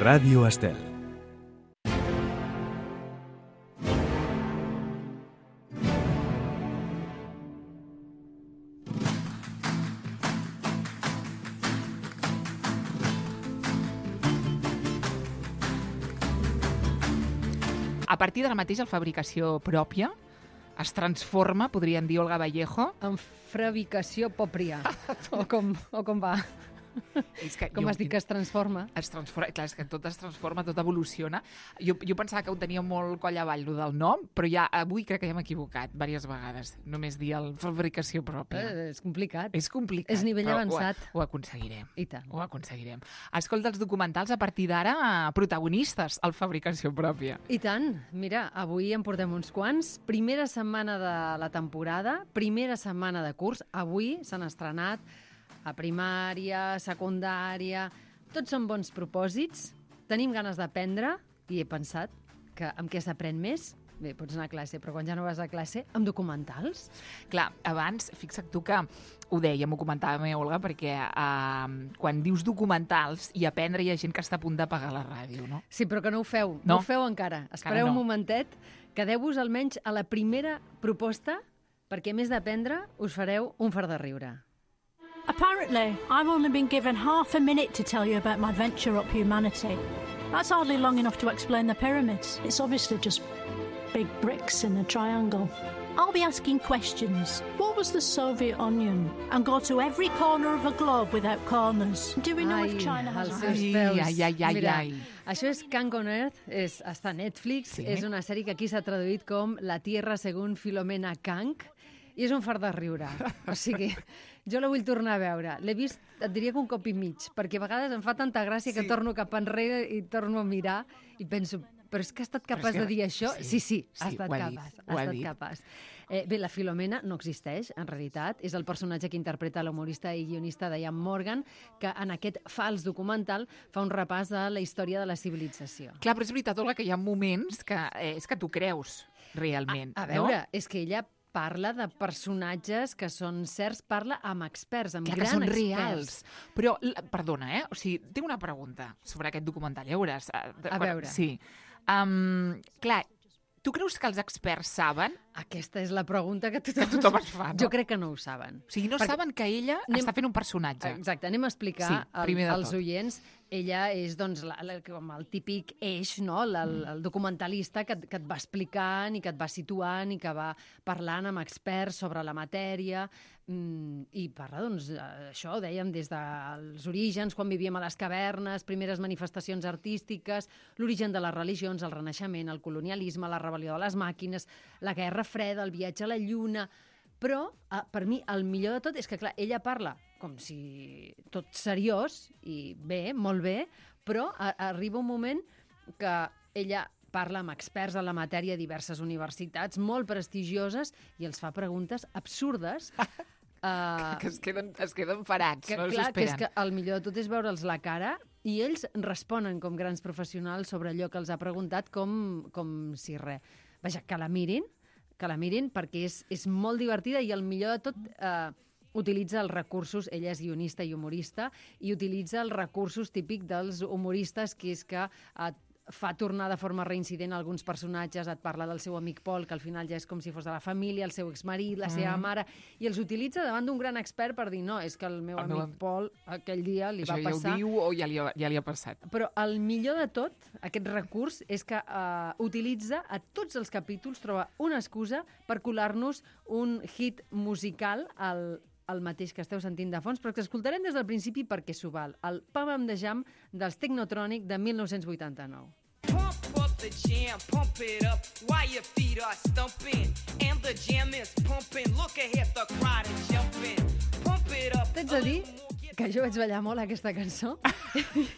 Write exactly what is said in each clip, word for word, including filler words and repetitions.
Ràdio Estel. A partir d'ara mateix, la fabricació pròpia es transforma, podríem dir, Olga Vallejo, en fabricació pròpia, o com, o com va. És que Com jo- has dit que es transforma? Es transforma, clar, és que tot es transforma, tot evoluciona. Jo, jo pensava que ho tenia molt coll avall, lo del nom, però ja avui crec que ja m'he equivocat diverses vegades. Només dir el fabricació pròpia. Eh, és complicat. És complicat. és nivell però avançat. Ho, ho aconseguirem. I tant. Ho aconseguirem. Escolta, els documentals a partir d'ara, protagonistes al fabricació pròpia. I tant. Mira, avui en portem uns quants. Primera setmana de la temporada, primera setmana de curs. Avui s'han estrenat a primària, secundària... Tots són bons propòsits. Tenim ganes d'aprendre i he pensat que amb què s'aprèn més? Bé, pots anar a classe, però quan ja no vas a classe, amb documentals. Clar, abans, fixa't tu que ho dèiem, ho comentava la meva Olga, perquè uh, quan dius documentals i aprendre hi ha gent que està a punt d'apagar la ràdio, no? Sí, però que no ho feu. No. No ho feu encara. Espereu no. un momentet. Quedeu-vos almenys a la primera proposta perquè, a més d'aprendre, us fareu un fart de riure. Apparently, I've only been given half a minute to tell you about my venture up humanity. That's hardly long enough to explain the pyramids. It's obviously just big bricks in a triangle. I'll be asking questions What was the Soviet onion? and go to every corner of a globe without corners. Do we know Ai, if China has els a seus Ai, peus. ai, ai, ai, Mira, ai. això és Kang on Earth, és, està a Netflix, Sí. és una sèrie que aquí s'ha traduït com La Tierra según Filomena Kang, i és un fart de riure. O sigui, jo la vull tornar a veure. L'he vist, et diria que un cop i mig, perquè a vegades em fa tanta gràcia que Sí. torno cap enrere i torno a mirar i penso, però és que ha estat Però és capaç que- de dir això? sí, Sí, sí, ha sí, estat ho ha capaç. dit, ha ho ha estat dit. capaç. Eh, bé, la Filomena no existeix, en realitat. És el personatge que interpreta l'humorista i guionista Diane Morgan, que en aquest fals documental fa un repàs de la història de la civilització. Clar, però és veritat, Olga, que hi ha moments que eh, és que tu creus realment, A, a no? veure, és que ella parla de personatges que són certs, parla amb experts, amb Clar que grans són experts. reals. Però, l- perdona, eh? O sigui, tinc una pregunta sobre aquest documental, ja veuràs. eh, de- A veure. Sí. Um, clar, tu creus que els experts saben? Aquesta és la pregunta que tothom, Que tothom es fa, no? Jo crec que no ho saben. O sigui, no Perquè- saben que ella Anem- està fent un personatge. Exacte, anem a explicar Sí, al- primer de als tot. oients. Ella és doncs, la, la, com el típic eix, no? el, el, el documentalista que, et- que et va explicant i que et va situant i que va parlant amb experts sobre la matèria mm, i parla, doncs, això, ho dèiem, des dels orígens, quan vivíem a les cavernes, primeres manifestacions artístiques, l'origen de les religions, el renaixement, el colonialisme, la rebel·lió de les màquines, la guerra freda, el viatge a la lluna... Però, eh, per mi, el millor de tot és que, clar, ella parla com si tot seriós, i bé, molt bé, però a, arriba un moment que ella parla amb experts en la matèria a diverses universitats molt prestigioses i els fa preguntes absurdes. uh, Que es queden, es queden parats, que, no clar, s'ho que és esperen. que el millor de tot és veure'ls la cara i ells responen com grans professionals sobre allò que els ha preguntat com, com si res. Vaja, que la mirin, que la mirin perquè és, és molt divertida i el millor de tot eh, utilitza els recursos, ella és guionista i humorista, i utilitza els recursos típics dels humoristes, que és que eh, fa tornar de forma reincident alguns personatges, et parla del seu amic Pol, que al final ja és com si fos de la família, el seu exmarit, la seva mare, i els utilitza davant d'un gran expert per dir no, és que el meu El amic meu am- Pol aquell dia li Això va ja passar... ho diu o ja li, ha, ja li ha passat? Però el millor de tot, aquest recurs, és que uh, utilitza a tots els capítols, troba una excusa per colar-nos un hit musical al, el mateix que esteu sentint de fons, però que escoltarem des del principi perquè s'ho val. El Pam Am de Jam dels Technotronic de mil nou-cents vuitanta-nou. Pump up the jam, pump it up while your feet are stumping. And the jam is pumping. Look ahead, the crowd is jumping. Pump it up. T'haig de dir que jo vaig ballar molt aquesta cançó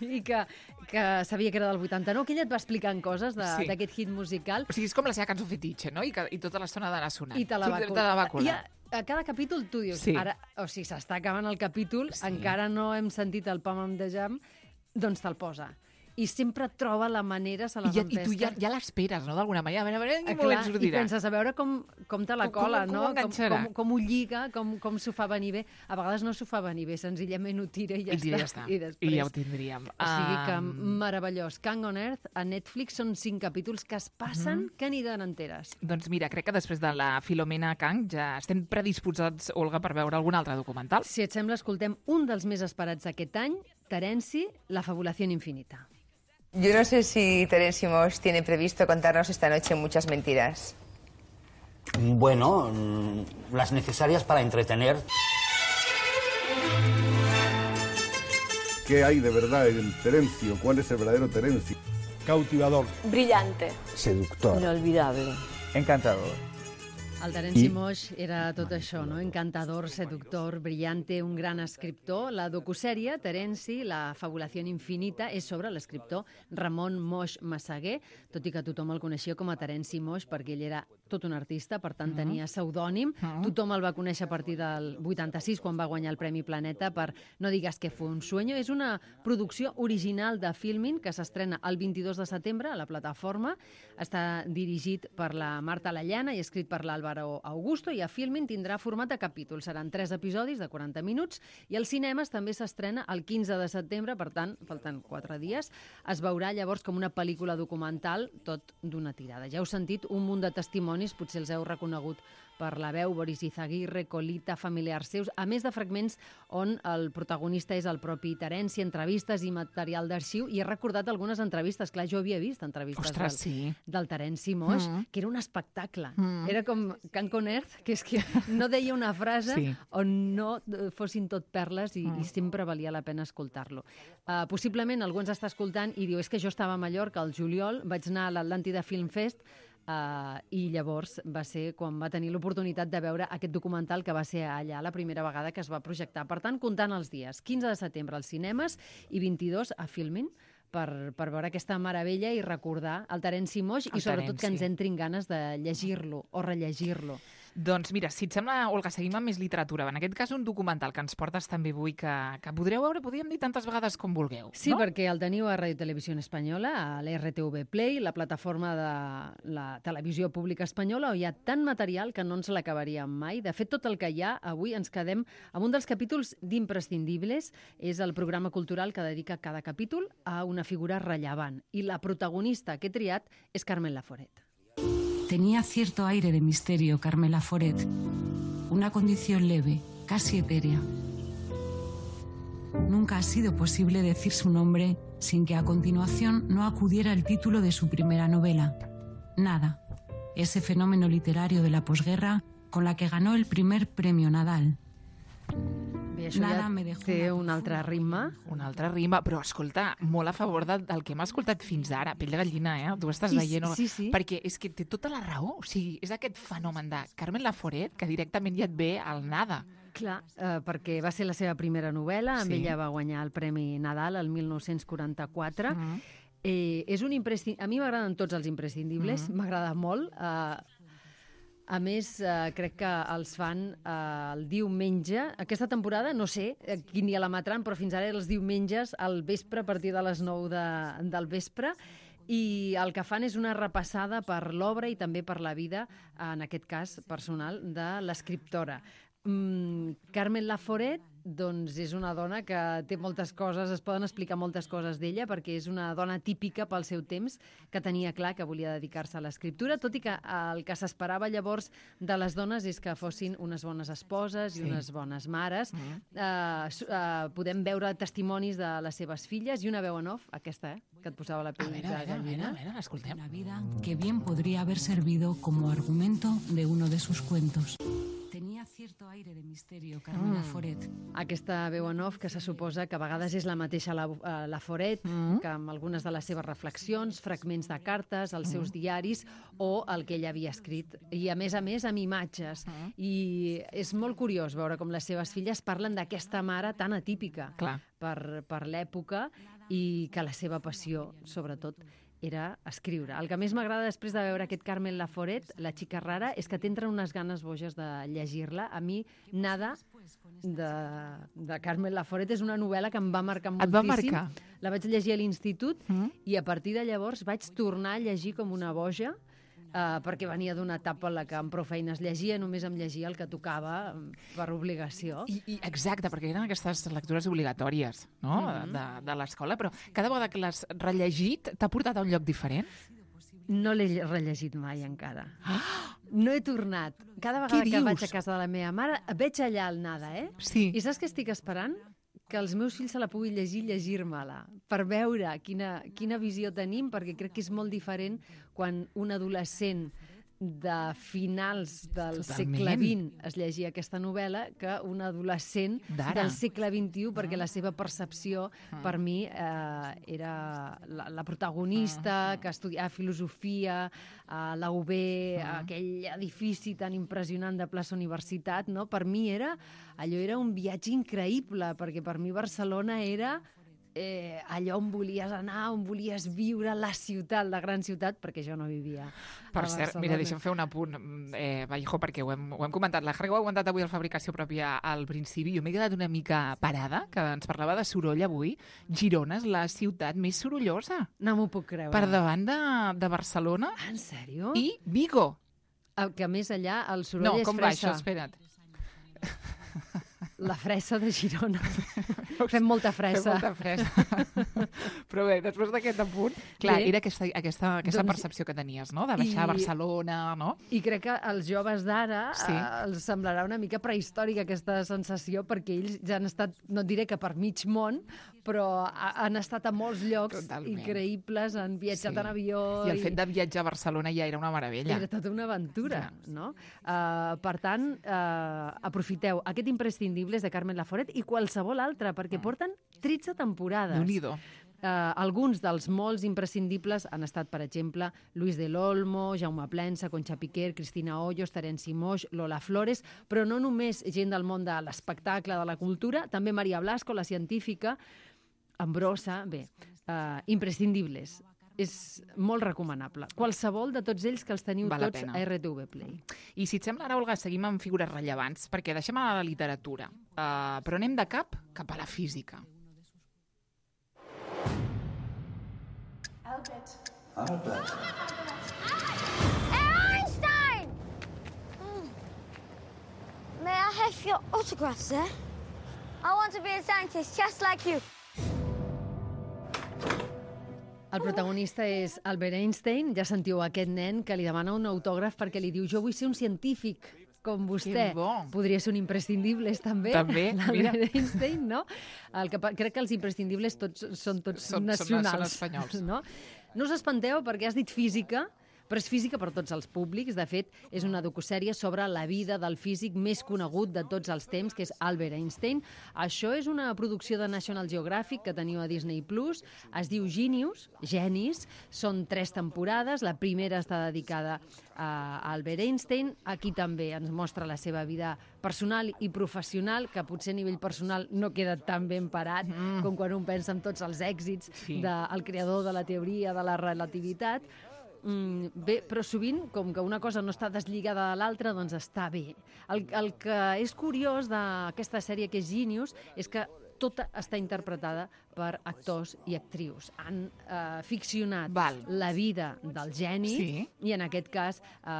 i que, que sabia que era del vuitanta-nou, que ella et va explicant coses Sí. d'aquest hit musical O sigui, és com la seva cançó fetitxe, no? I, que, i tota l'estona ha d'anar sonant. i te la va Tu- colar. Te la va colar. I a, a cada capítol tu dius, Sí. ara, o sigui, s'està acabant el capítol, Sí. encara no hem sentit el Pam Am de Jam, doncs te'l posa. i sempre troba la manera, se les I, ja, empesca. I tu ja, ja l'esperes, no?, d'alguna manera. A veure, a veure, en quin Ah, moment clar, sortirà. I penses a veure com, com te la Com- cola, com- com no? ho enganxarà. Com, com ho lliga, com, com s'ho fa venir bé. A vegades no s'ho fa venir bé, senzillament ho tira i ja, I ja està. està. I, després... I ja ho tindríem. O sigui que Um, meravellós. Kang on Earth a Netflix són cinc capítols que es passen Mhm. que ni de n'enteres. Doncs mira, crec que després de la Filomena Kang ja estem predisposats, Olga, per veure algun altre documental. Si et sembla, escoltem un dels més esperats d'aquest any, Terenci, La fabulación infinita. Yo no sé si Terence Moss tiene previsto contarnos esta noche muchas mentiras. Bueno, mm, las necesarias para entretener. ¿Qué hay de verdad en Terencio? ¿Cuál es el verdadero Terencio? Cautivador. Brillante. Seductor. Inolvidable. Encantador. El Terenci Moix era tot això, no? Encantador, seductor, brillante, un gran escriptor. La docusèrie, Terenci, La fabulació infinita, és sobre l'escriptor Ramon Moix Massaguer, tot i que tothom el coneixia com a Terenci Moix, perquè ell era tot un artista, per tant tenia pseudònim. Tothom el va conèixer a partir del vuitanta-sis, quan va guanyar el Premi Planeta per No digues que fue un sueño. És una producció original de Filmin que s'estrena el vint-i-dos de setembre a la plataforma. Està dirigit per la Marta Lallana i escrit per l'Àlvaro Augusto, i a Filmin tindrà format de capítols. Seran tres episodis de quaranta minuts i als cinemes també s'estrena el quinze de setembre, per tant, falten quatre dies. Es veurà llavors com una pel·lícula documental, tot d'una tirada. Ja heu sentit un munt de testimonis, potser els heu reconegut per la veu, Boris Izaguirre, Colita, familiars seus, a més de fragments on el protagonista és el propi Terenci, entrevistes i material d'arxiu, i he recordat algunes entrevistes. Clar, jo havia vist entrevistes Ostres, del, sí. del Terenci Moix, Mm. que era un espectacle. Mm. Era com Kang on Earth, que és que no deia una frase Sí. on no eh, fossin tot perles i, Mm. i sempre valia la pena escoltar-lo. Uh, possiblement algú ens està escoltant i diu, és que jo estava a Mallorca al juliol, vaig anar a l'Atlàntida Film Fest, Uh, i llavors va ser quan va tenir l'oportunitat de veure aquest documental, que va ser allà la primera vegada que es va projectar. Per tant, comptant els dies, quinze de setembre als cinemes i vint-i-dos a Filmin, per, per veure aquesta meravella i recordar el Terenci Moix i El sobretot que ens Terenci. entrin ganes de llegir-lo o rellegir-lo. Doncs mira, si et sembla, Olga, seguim amb més literatura. En aquest cas, un documental que ens portes també avui que, que podreu veure, podríem dir tantes vegades com vulgueu. Sí, no? perquè el teniu a Radio Televisió Espanyola, a l'R T V Play, la plataforma de la televisió pública espanyola, on hi ha tant material que no ens l'acabaríem mai. De fet, tot el que hi ha, avui ens quedem amb un dels capítols d'Imprescindibles. És el programa cultural que dedica cada capítol a una figura rellevant. I la protagonista que he triat és Carmen Laforet. Tenía cierto aire de misterio Carmela Foret, una condición leve, casi etérea. Nunca ha sido posible decir su nombre sin que a continuación no acudiera el título de su primera novela, Nada, ese fenómeno literario de la posguerra con la que ganó el primer premio Nadal. Bé, això Nada ja me dejó té una un altre ritme. Una altra rima, però escolta, molt a favor de, del que hem escoltat fins ara. Pell de gallina, eh? Tu estàs Sí, veient... sí, sí. Perquè és que té tota la raó. O sigui, és aquest fenomen de Carmen Laforet que directament ja et ve al nada. Clar, eh, perquè va ser la seva primera novel·la, amb Sí. ella va guanyar el Premi Nadal el mil nou-cents quaranta-quatre. Mm. Eh, és un imprescin... A mi m'agraden tots els imprescindibles, Mm. m'agrada molt. Eh, a més, eh, crec que els fan eh, el diumenge. Aquesta temporada, no sé eh, quin dia la matran, però fins ara era els diumenges al vespre, a partir de les nou de, del vespre. I el que fan és una repassada per l'obra i també per la vida, en aquest cas personal, de l'escriptora. Mm, Carmen Laforet, doncs, és una dona que té moltes coses, es poden explicar moltes coses d'ella, perquè és una dona típica pel seu temps, que tenia clar que volia dedicar-se a l'escriptura, tot i que el que s'esperava llavors de les dones és que fossin unes bones esposes i Sí. unes bones mares. Mm. Eh, su- eh, podem veure testimonis de les seves filles i una veu en off, aquesta, eh, que et posava la A pell veure, de a veure, a veure, gallina. a veure, escoltem. La vida que bien podría haber servido como argumento de uno de sus cuentos. Tenía cierto aire de misterio Carmela Mm. Foret. Aquesta veu en off que se suposa que a vegades és la mateixa la, eh, la Foret, Mm. que amb algunes de les seves reflexions, fragments de cartes, els seus diaris o el que ella havia escrit. I a més a més amb imatges. Mm. I és molt curiós veure com les seves filles parlen d'aquesta mare tan atípica Clar. per, per l'època i que la seva passió, sobretot, era escriure. El que més m'agrada després de veure aquest Carmen Laforet, la xica rara, és que t'entren unes ganes boges de llegir-la. A mi, Nada, de, de Carmen Laforet és una novel·la que em va marcar Et va moltíssim. marcar? La vaig llegir a l'institut Mm. i a partir de llavors vaig tornar a llegir com una boja, Uh, perquè venia d'una etapa en la que amb prou feines llegia, només em llegia el que tocava per obligació. I, i exacte, perquè eren aquestes lectures obligatòries, no?, Mhm. de, de l'escola, però cada vegada que l'has rellegit t'ha portat a un lloc diferent? No l'he rellegit mai encara. No he tornat. Cada vegada Què que dius? vaig a casa de la meva mare, veig allà el nada, eh? Sí. I saps què estic esperant? Que els meus fills se la puguin llegir i llegir-me-la, per veure quina, quina visió tenim, perquè crec que és molt diferent quan un adolescent de finals del Totalment. segle vint es llegia aquesta novel·la que un adolescent D'ara. del segle vint-i-u, perquè la seva percepció, per mi, eh, era la, la protagonista que estudiava filosofia a la U B, aquell edifici tan impressionant de plaça Universitat, no? Per mi era, allò era un viatge increïble, perquè per mi Barcelona era eh, allò on volies anar, on volies viure, la ciutat, la gran ciutat, perquè jo no vivia Per a cert, Barcelona. mira, deixa'm fer un apunt, eh, Vallejo, perquè ho hem, ho hem comentat. La Harry ho ha aguantat avui al Fabricació Pròpia al principi. Jo m'he quedat una mica parada, que ens parlava de soroll avui. Girona és la ciutat més sorollosa. No m'ho puc creure. Per davant de, de Barcelona. Ah, en sèrio? I Vigo. El que més allà el soroll No, és com va fressa. això? Espera't. La fressa de Girona. Fem molta fressa. Fem molta fressa. Però bé, després d'aquest apunt, clar, Bé. era aquesta, aquesta, aquesta Doncs- percepció que tenies, no?, de baixar a I- Barcelona, no? I crec que als joves d'ara Sí. eh, els semblarà una mica prehistòrica aquesta sensació, perquè ells ja han estat, no et diré que per mig món, però ha- han estat a molts llocs Totalment. increïbles, han viatjat Sí. en avió... I el fet de viatjar a Barcelona ja era una meravella. Era tota una aventura, no? Uh, per tant, uh, aprofiteu aquest imprescindible és de Carmen Laforet i qualsevol altre, perquè porten tretze temporades. Déu-n'hi-do. Uh, alguns dels molts imprescindibles han estat, per exemple, Luis del Olmo, Jaume Plensa, Concha Piquer, Cristina Hoyos, Terenci Moix, Lola Flores, però no només gent del món de l'espectacle, de la cultura, també Maria Blasco, la científica, Ambrosa, bé, uh, imprescindibles. És molt recomanable. Qualsevol de tots ells que els teniu Val la tots pena. a R T V Play. I si et sembla, ara, Olga, seguim amb figures rellevants, perquè deixem a la literatura, uh, però anem de cap cap a la física. Albert. Albert. Einstein! Mm. May I have your autograph, sir? I want to be a scientist just like you. El protagonista és Albert Einstein. Ja sentiu aquest nen que li demana un autògraf perquè li diu jo vull ser un científic com vostè. Que bo. Podria ser un imprescindibles, també. També, mira. L'Albert Einstein, no? El que, pa- crec que els imprescindibles tots, són tots Són- són- nacionals. són espanyols. No? No us espanteu perquè has dit física, però és física per tots els públics. De fet, és una docusèrie sobre la vida del físic més conegut de tots els temps, que és Albert Einstein. Això és una producció de National Geographic que teniu a Disney Plus. Es diu Genius, Genis. Són tres temporades. La primera està dedicada a Albert Einstein. Aquí també ens mostra la seva vida personal i professional, que potser a nivell personal no queda tan ben parat mm. com quan un pensa en tots els èxits Sí. del creador de la teoria de la relativitat. Mm, bé, però sovint, com que una cosa no està deslligada de l'altra, doncs està bé. El, el que és curiós d'aquesta sèrie que és Genius és que tota està interpretada per actors i actrius. Han eh, ficcionat Val. la vida del geni Sí. i en aquest cas eh,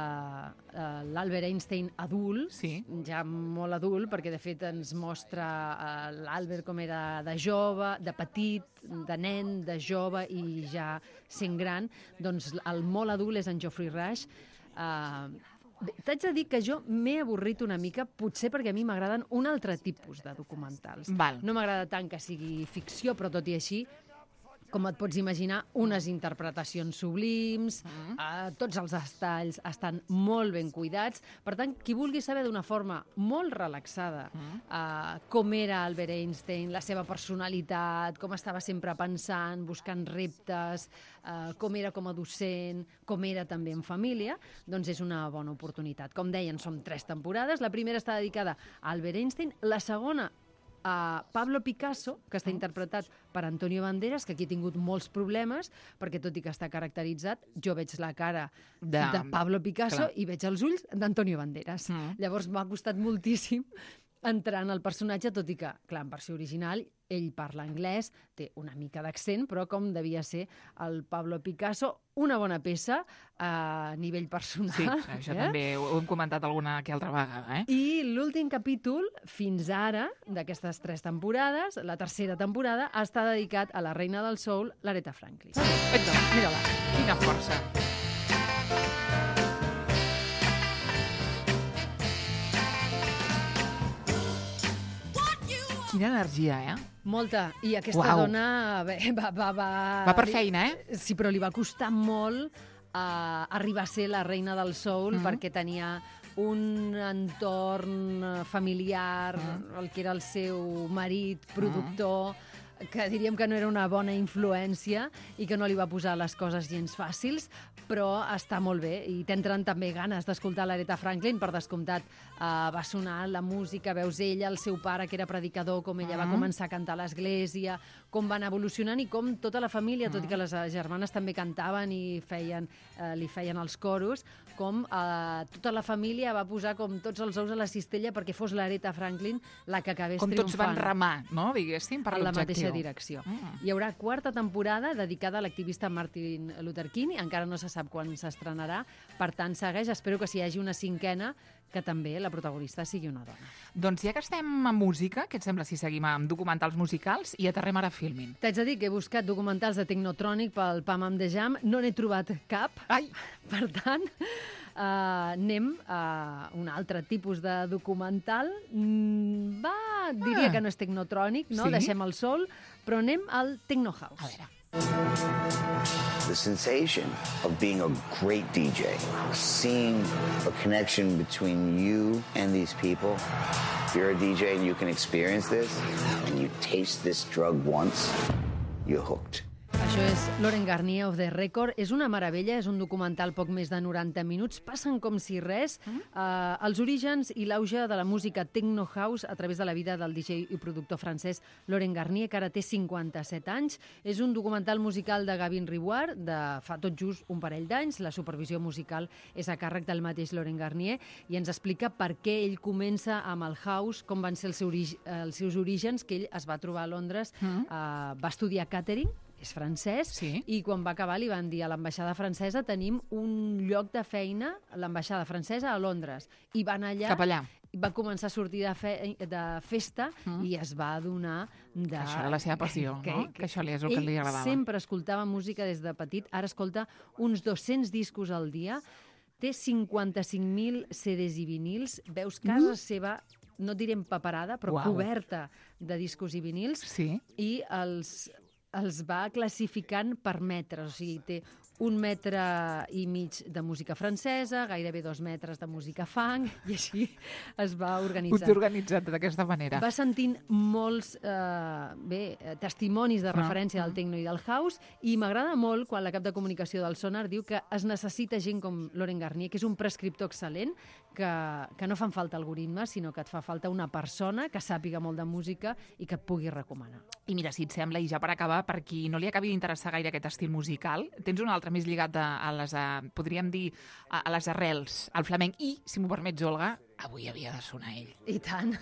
eh, l'Albert Einstein adult, Sí. ja molt adult, perquè de fet ens mostra eh, l'Albert com era de jove, de petit, de nen, de jove i ja sent gran. Doncs el molt adult és en Geoffrey Rush. Eh, Bé, t'haig de dir que jo m'he avorrit una mica, potser perquè a mi m'agraden un altre tipus de documentals. Val. No m'agrada tant que sigui ficció, però tot i així, com et pots imaginar, unes interpretacions sublims, mm. eh, tots els detalls estan molt ben cuidats. Per tant, qui vulgui saber d'una forma molt relaxada mm. eh, com era Albert Einstein, la seva personalitat, com estava sempre pensant, buscant reptes, eh, com era com a docent, com era també en família, doncs és una bona oportunitat. Com deien, són tres temporades. La primera està dedicada a Albert Einstein, la segona a Pablo Picasso, que està interpretat per Antonio Banderas, que aquí ha tingut molts problemes, perquè tot i que està caracteritzat, jo veig la cara de, De- de Pablo Picasso clar. i veig els ulls d'Antonio Banderas. Mm. Llavors m'ha costat moltíssim entrant al personatge, tot i que, clar, en versió original, ell parla anglès, té una mica d'accent, però com devia ser el Pablo Picasso, una bona peça a nivell personal. Sí, això eh? també ho hem comentat alguna que altra vegada. Eh? I l'últim capítol, fins ara, d'aquestes tres temporades, la tercera temporada, està dedicat a la reina del soul, l'Aretha Franklin. Exacte. Mira-la. Quina força. Quina energia, eh? Molta. I aquesta Uau. dona bé, va, va, va... Va per feina, eh? Sí, però li va costar molt uh, arribar a ser la reina del soul, Mm. perquè tenia un entorn familiar, Mm. el que era el seu marit, productor, que diríem que no era una bona influència i que no li va posar les coses gens fàcils, però està molt bé i t'entren també ganes d'escoltar l'Aretha Franklin. Per descomptat, eh, va sonar la música, veus ella, el seu pare, que era predicador, com ella va Mm. començar a cantar a l'església, com van evolucionant i com tota la família, tot i que les eh, germanes també cantaven i feien, eh, li feien els coros, com eh, tota la família va posar com tots els ous a la cistella perquè fos l'Aretha Franklin la que acabés Com tots van triomfant remar, no?, diguéssim, per en la l'objectiu. mateixa direcció. Mm. Hi haurà quarta temporada dedicada a l'activista Martin Luther King, encara no se sap quan s'estrenarà, per tant segueix, espero que si hi hagi una cinquena, que també la protagonista sigui una dona. Doncs ja que estem en música, què et sembla si seguim amb documentals musicals i aterrem ara a Filmin? T'haig de dir que he buscat documentals de Technotronic pel Pam Am de Jam, no n'he trobat cap. Ai! Per tant, uh, anem a un altre tipus de documental. Mm, va, diria Ah. que no és Technotronic, no? Sí? Deixem el sol, però anem al Techno House. A veure. The sensation of being a great D J, seeing a connection between you and these people. If you're a D J and you can experience this, and you taste this drug once, you're hooked. Això és Lauren Garnier of the Record. És una meravella, és un documental poc més de noranta minuts. Passen com si res mm. eh, els orígens i l'auge de la música Techno House a través de la vida del D J i productor francès Lauren Garnier, que ara té cinquanta-set anys. És un documental musical de Gavin Reward, de fa tot just un parell d'anys. La supervisió musical és a càrrec del mateix Lauren Garnier i ens explica per què ell comença amb el house, com van ser els, seu, els seus orígens, que ell es va trobar a Londres, mm. eh, va estudiar catering, és francès, sí. I quan va acabar li van dir a l'ambaixada francesa tenim un lloc de feina, l'ambaixada francesa a Londres, i van allà... Cap allà. Va començar a sortir de, fe, de festa mm. i es va adonar de... Que això era la seva passió, que, no? Que, que això li és el que li agradava. Ell sempre escoltava música des de petit, ara escolta uns dos-cents discos al dia, té cinquanta-cinc mil C Ds i vinils, veus casa mm. seva, no direm paperada, però Uau. Coberta de discos i vinils, sí. I els... els va classificant per metres, o sigui, té un metre i mig de música francesa, gairebé dos metres de música funk, i així es va organitzant. Ho té organitzat d'aquesta manera. Va sentint molts eh, bé, testimonis de referència ah, del techno i del house, i m'agrada molt quan la cap de comunicació del Sonar diu que es necessita gent com Lauren Garnier, que és un prescriptor excel·lent, que, que no fan falta algoritmes, sinó que et fa falta una persona que sàpiga molt de música i que et pugui recomanar. I mira, si et sembla, i ja per acabar, per qui no li acabi d'interessar gaire aquest estil musical, tens un altre més lligat a, a les, a, podríem dir, a, a les arrels, al flamenc, i, si m'ho permets, Olga, avui havia de sonar ell. I tant.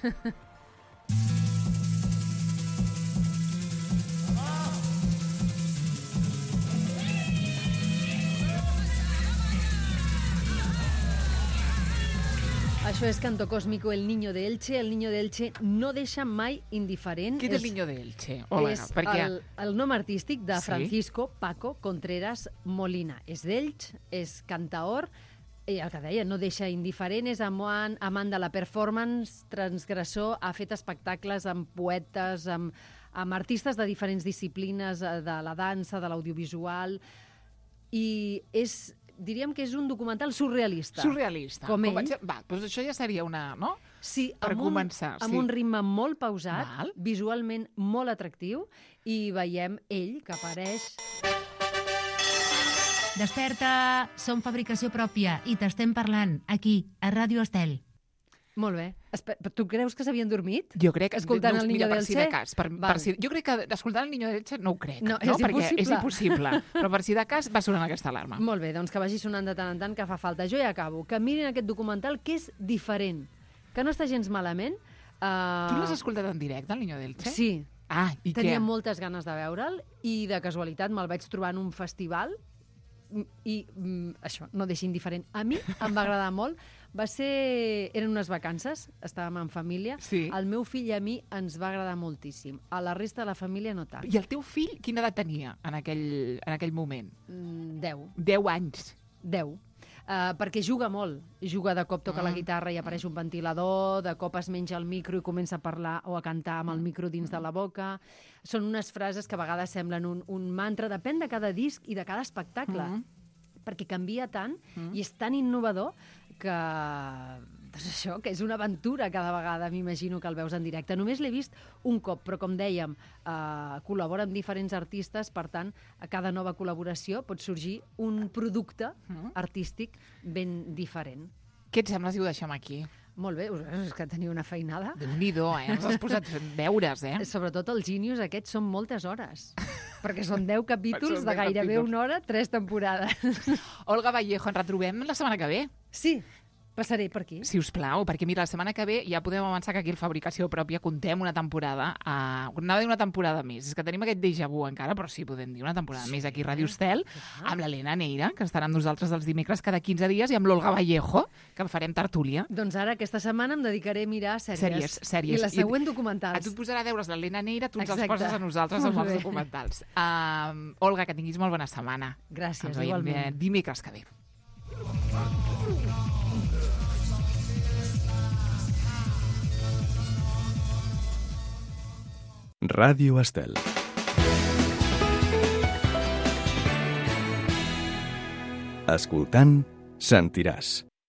Això és Canto Cósmico, El Niño de Elche. El Niño de Elche no deixa mai indiferent. Qui és el Niño de Elche? Hola, és perquè... el, el nom artístic de Sí? Francisco Paco Contreras Molina. És d'Elx, és cantaor, i el que deia, no deixa indiferent, és amant, amant de la performance, transgressor, ha fet espectacles amb poetes, amb, amb artistes de diferents disciplines, de la dansa, de l'audiovisual, i és... diríem que és un documental surrealista. Surrealista. Com, Com ell. vaig... Va, doncs això ja seria una... No? Sí, per amb un, començar. amb sí. un ritme molt pausat, Val. visualment molt atractiu, i veiem ell que apareix... Desperta! Som fabricació pròpia i t'estem parlant aquí, a Ràdio Estel. Molt bé. Espe tu creus que s'havien dormit? Jo crec que... Escoltant no, el Niño mira, per del si Che? de cas, per, per si, jo crec que escoltant el Niño del Che no ho crec. No, no? és Perquè impossible. és impossible. Però per si de cas va sonant aquesta alarma. Molt bé, doncs que vagi sonant de tant en tant, que fa falta. Jo ja acabo. Que mirin aquest documental, que és diferent, que no està gens malament. Uh... Tu l'has escoltat en directe, el Niño d'Elche? Sí. Ah, i Tenia què? moltes ganes de veure'l i de casualitat me'l vaig trobar en un festival i mm, això, no deixa indiferent. A mi em va agradar molt. Va ser... Eren unes vacances, estàvem en família. Sí. El meu fill i a mi ens va agradar moltíssim. A la resta de la família no tant. I el teu fill quina edat tenia en aquell, en aquell moment? Mm, deu. Deu anys. Deu. Uh, perquè juga molt. Juga, de cop toca Mm. la guitarra i apareix un ventilador, de cop es menja el micro i comença a parlar o a cantar amb el micro dins de la boca. Són unes frases que a vegades semblen un, un mantra. Depèn de cada disc i de cada espectacle. Mm. Perquè canvia tant Mm. i és tan innovador que... Doncs això, que és una aventura cada vegada, m'imagino que el veus en directe. Només l'he vist un cop, però com dèiem, eh, col·labora amb diferents artistes, per tant, a cada nova col·laboració pot sorgir un producte artístic ben diferent. Què et sembla si ho deixem aquí? Molt bé, és que teniu una feinada. Déu-n'hi-do, eh? Ens has posat fent deures, eh? Sobretot els Genius aquests són moltes hores, perquè són deu capítols Són de deu gairebé capítols. una hora, tres temporades. Olga Vallejo, ens retrobem la setmana que ve. Sí, passaré per aquí. Si us plau, perquè mira, la setmana que ve ja podem avançar que aquí al Fabricació Pròpia contem una temporada, uh, anava a dir una temporada més, és que tenim aquest déjà vu encara, però sí, podem dir una temporada sí, més aquí a Ràdio Estel, amb l'Helena Neira, que estarà amb nosaltres els dimecres cada quinze dies, i amb l'Olga Vallejo, que farem tertúlia. Doncs ara, aquesta setmana, em dedicaré a mirar sèries. Sèries, sèries. I la següent, I documentals. a tu et posarà deures l'Helena Neira, tu ens els Exacte. poses a nosaltres amb Molt els bé. documentals. Uh, Olga, que tinguis molt bona setmana. Gràcies, ens veiem igualment. eh, dimecres que ve. Ràdio Estel. Escoltant, sentiràs.